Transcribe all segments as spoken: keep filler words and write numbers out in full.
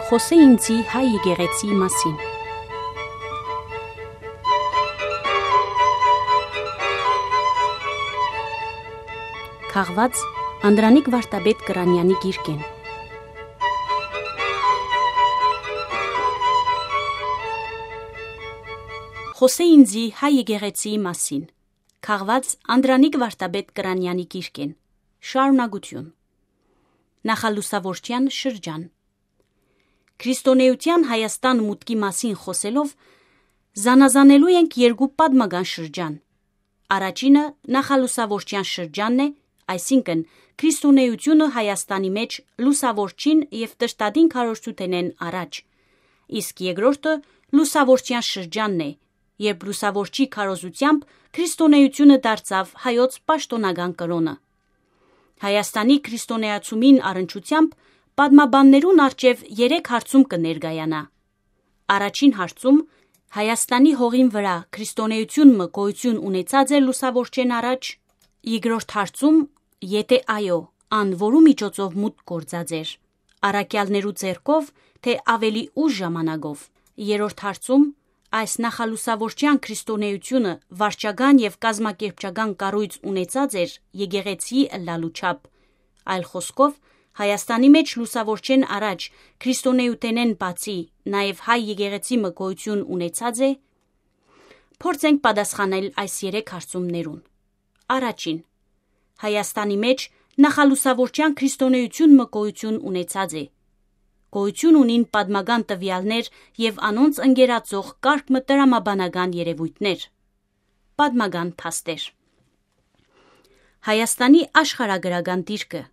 Խօսէ ինծի հայ եկեղեցիի մասին։ Քաղուած Անդրանիկ Վարդապետ Կրանեանի գիրքէն։ Խօսէ ինծի հայ եկեղեցիի մասին։ Քաղուած Անդրանիկ Վարդապետ Կրանեանի գիրքէն։ Շարունակութիւն։ Նախալուսաւորչեան շրջան։ Քրիստոնէութեան Հայաստան մուտքի մասին խօսելով, զանազանելու ենք երկու պատմական շրջան։ Առաջինը նախալուսաւորչեան շրջանն է, այսինքն՝ քրիստոնէութիւնը Հայաստանի մէջ լուսաւորչին եւ Տրտատին քարոզչութենէն առաջ, իսկ երկրորդը լուսաւորչեան շրջանն է, երբ լուսաւորչի քարոզութեամբ քրիստոնէութիւնը դարձաւ հայոց պաշտօնական կրօնը։ Հայաստանի քրիստոնէացումին առնչութեամբ պատմաբաններուն առջեւ երեք հարցում կը ներկայանայ։ Առաջին հարցում՝ Հայաստանի հողին վրայ քրիստոնէութիւն մը գոյութիւն ունեցած էր լուսաւորչէն առաջ։ Երկրորդ հարցում՝ եթէ այո, ան որու միջոցով մուտք գործած էր, առաքեալներու ձեռքով, թէ աւելի ուշ ժամանակով։ Երրորդ հարցում՝ այս նախալուսաւորչեան քրիստոնէութիւնը վարչական եւ կազմակերպչական կառոյց ունեցած էր եկեղեցիի ըլլալու չափ։ Այլ խօսքով, Հայաստանի մէջ լուսաւորչէն առաջ քրիստոնէութենէն բացի նաեւ հայ եկեղեցի մը գոյութիւն ունեցած է։ Փորձենք պատասխանել այս երեք հարցումներուն։ Առաջին, Հայաստանի մէջ նախալուսաւորչեան քրիստոնէութիւն մը գոյութիւն ունեցած է։ Գոյութիւն ունին պատմական տուեալներ եւ անոնց ընկերացող կարգ մը տրամաբանական երեւոյթներ։ Պատմական փաստեր։ Հայաստանի աշխարհագրական դիրքը։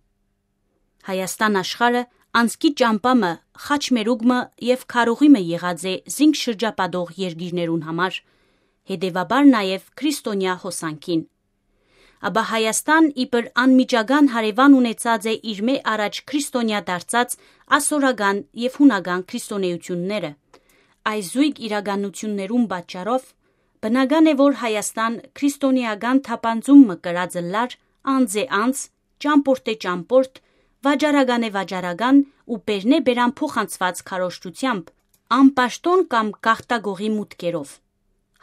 Հայաստան աշխարհը անցքի ճամբայ մը խաչմերուկ մը եւ քարուղի մը եղած է զինք շրջապատող երկիրներուն համար, հետեւաբար նաեւ քրիստոնեայ հոսանքին։ Ապա Հայաստան իբր անմիջական հարեւան ունեցած է իրմէ առաջ քրիստոնեայ դարձած ասորական եւ յունական քրիստոնէութիւնները։ Այս զոյգ իրականութիւններուն պատճառով բնական է, որ Հայաստան քրիստոնեական թափանցում մը կրած ըլլար անձ է անձ, ճամբորդ է ճամբորդ, վաճառական է վաճառական ու բերնէ բերան փոխանցուած քարոզչութեամբ, անպաշտօն կամ գաղթագողի մուտքերով։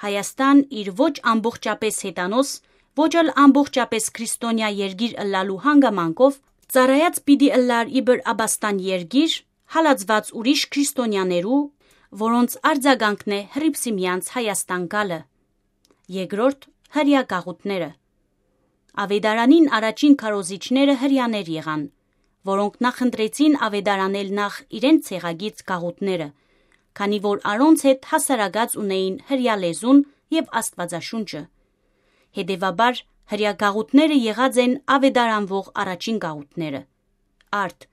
Հայաստան իր ոչ ամբողջապէս հեթանոս, ոչ ալ ամբողջապէս քրիստոնեայ երկիր ըլլալու հանգամանքով ծառայած պիտի ըլլար իբր աբաստան երկիր, հալածուած ուրիշ քրիստոնեաներու, որոնց արձագանքն է Հռիփսիմեանց Հայաստան գալը։ Երկրորդ, հրեայ գաղութները։ Աւետարանին առաջին քարոզիչները հրեաներ եղան, որոնք նախընտրեցին աւետարանել նախ իրենց ցեղագից գաղութները, քանի որ անոնց հետ հասարակած ունէին հրեայ լեզուն եւ Աստուածաշունչը։ Հետեւաբար, հրեայ գաղութները եղած են աւետարանվող առաջին գաղութները։ Արդ,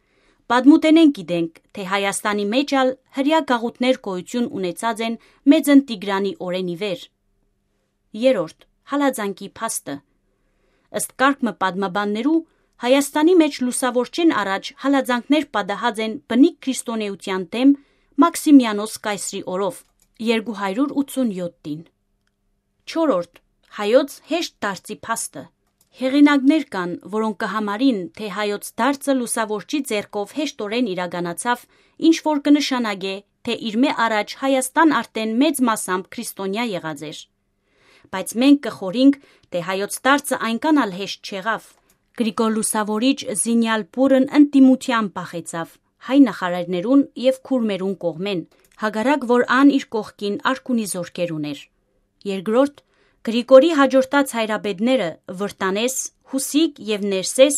պատմութենէն գիտենք, թէ Հայաստանի մէջ ալ հրեայ գաղութներ գոյութիւն ունեցած են Մեծն Տիգրանի օրէն ի վեր։ Երրորդ, հալածանքի փաստը։ Ըստ կարգ մը պատմաբաններու, Հայաստանի մէջ լուսաւորչէն առաջ հալածանքներ պատահած են բնիկ քրիստոնէութեան դէմ Մաքսիմիանոս կայսրի օրով, երկու հարիւր ութսունեօթին։ Չորրորդ, հայոց հեշտ դարձի փաստը։ Հեղինակներ կան, որոնք կը համարին, թէ հայոց դարձը լուսաւորչի ձեռքով հեշտօրէն իրականացաւ, ինչ որ կը նշանակէ, թէ իրմէ առաջ Հայաստան արդէն մեծ մասամբ քրիստոնեայ եղած էր։ Բայց մենք կը խորհենք, թէ հայոց դարձը այնքան ալ հեշտ չեղաւ։ Գրիգոր Լուսաւորիչ զինեալ բուռն ընդդիմութեան բախեցաւ հայ նախարարներուն եւ քուրմերուն կողմէն, հակառակ որ ան իր կողքին արքունի զօրքեր ունէր։ Երկրորդ, Գրիգորի հաջորդած հայրապետները՝ Վրտանէս, Յուսիկ եւ Ներսէս,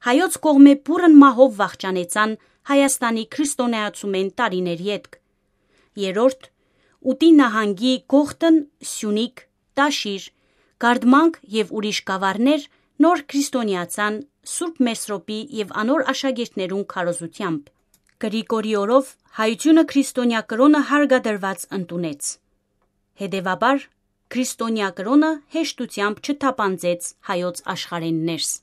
հայոց կողմէ բուռն մահով վախճանեցան Հայաստանի քրիստոնեացումէն տարիներ ետք։ Երրորդ, Ուտի նահանգի Կողթն, Սիւնիք, Տաշիր, Կարդմանք եւ ուրիշ գաւառներ նոր քրիստոնեացան Սուրբ Մեսրոպի եւ անոր աշակերտներուն քարոզութեամբ։ Գրիգորի օրով հայութիւնը քրիստոնեայ կրօնը հարկադրուած ընդունեց։ Հետեւաբար, քրիստոնեայ կրօնը հեշտութեամբ չթափանցեց հայոց աշխարհէն ներս։